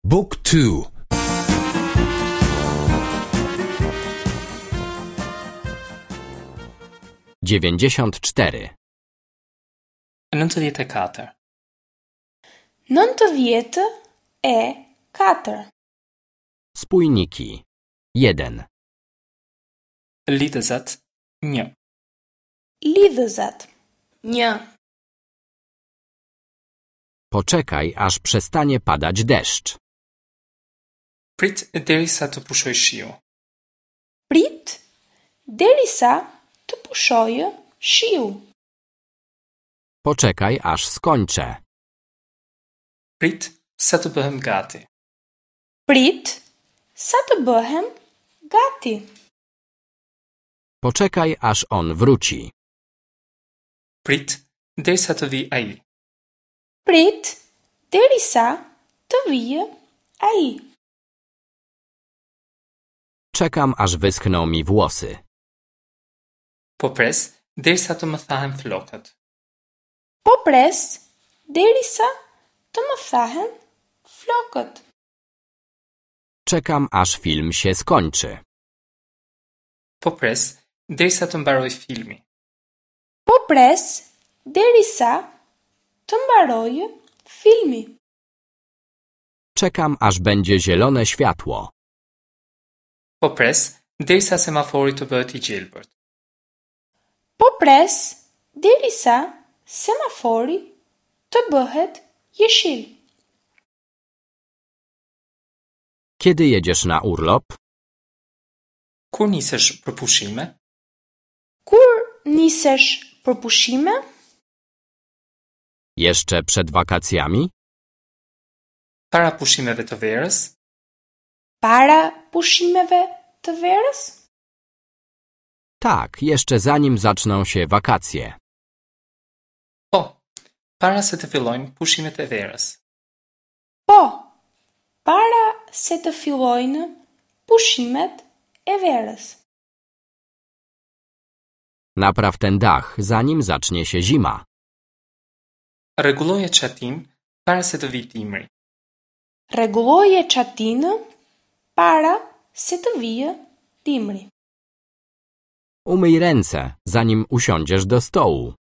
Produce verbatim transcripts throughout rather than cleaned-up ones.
Book two. Dziewięćdziesiąt cztery. Nëntëdhjetë e katër. Nëntëdhjetë e katër. Spójniki. Jeden. Lidhëzat një. Lidhëzat një. Poczekaj, aż przestanie padać deszcz. Prit derisa të pushojë shiu. Prit derisa të pushojë shiu. Poczekaj, aż skończę. Prit sa të bëhem gati. Prit sa të bëhem gati. Poczekaj, aż on wróci. Prit derisa të vijë ai. Prit derisa të vijë ai. Czekam, aż wyschną mi włosy. Po pres derisa të më thahen flokët. Po pres derisa të më thahen flokët. Czekam, aż film się skończy. Po pres derisa të mbarojë filmi. Po pres derisa të mbarojë filmi. Czekam, aż będzie zielone światło. Po pres derisa semafori të bëhet i gjelbërt. Po pres derisa semafori të bëhet jeshil. Kiedy jedziesz na urlop? Kur nisesh për pushime? Kur nisesh për pushime? Jeszcze przed wakacjami? Para pushimeve të verës? Para pushimeve të verës? Tak, jeszcze zanim zaczną się wakacje. Po, para se të fillojnë pushimet e verës. Po, para se të fillojnë pushimet e verës. Napraw ten dach, zanim zacznie się zima. Rregulloje çatinë para se të vijë dimri. Rregulloje çatinë para se të vijë dimri. Umyj ręce, zanim usiądziesz do stołu.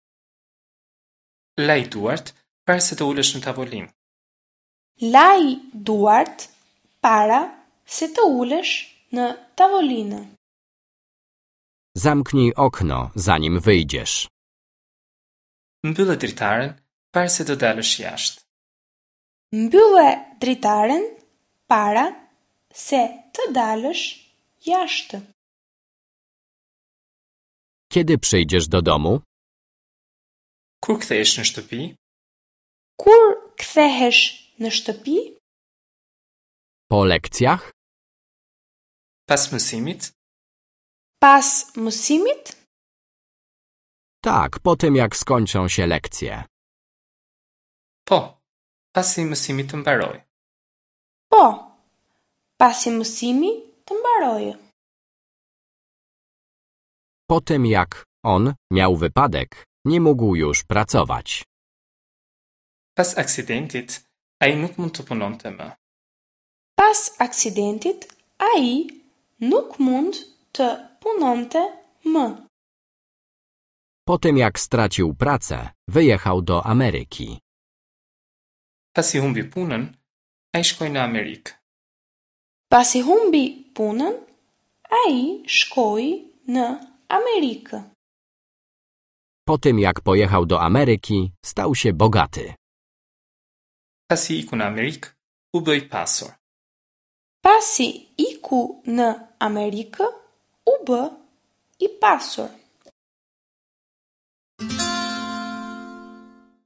Laj duart para se të ulesh në tavolinë. Laj duart para se të ulesh në tavolinë. Zamknij okno, zanim wyjdziesz. Mbyllë dritaren para se të dalësh jashtë. Mbyllë dritaren para se të dalësh jashtë. Kiedy przyjdziesz do domu? Kur kthehesh në shtëpi? Kur kthehesh në shtëpi? Po lekcjach? Pas mësimit? Pas mësimit? Tak, po tym jak skończą się lekcje. Po, pasi mësimi të mbarojë. Po, pasi mësimi të mbarojë. Po tym jak on miał wypadek, nie mógł już pracować. Pas aksidentit, ai nuk mund të punonte më. Pas aksidentit, ai nuk mund të punonte më. Po tym jak stracił pracę, wyjechał do Ameryki. Pasi humbi punën, ai shkoi në Amerikë. Pasi humbi punën, ai shkoi në Amerikë. Po tym jak pojechał do Ameryki, stał się bogaty. Pasi iku në Amerikë, u bë i pasur. Pasi iku në Amerikë, u bë i pasur.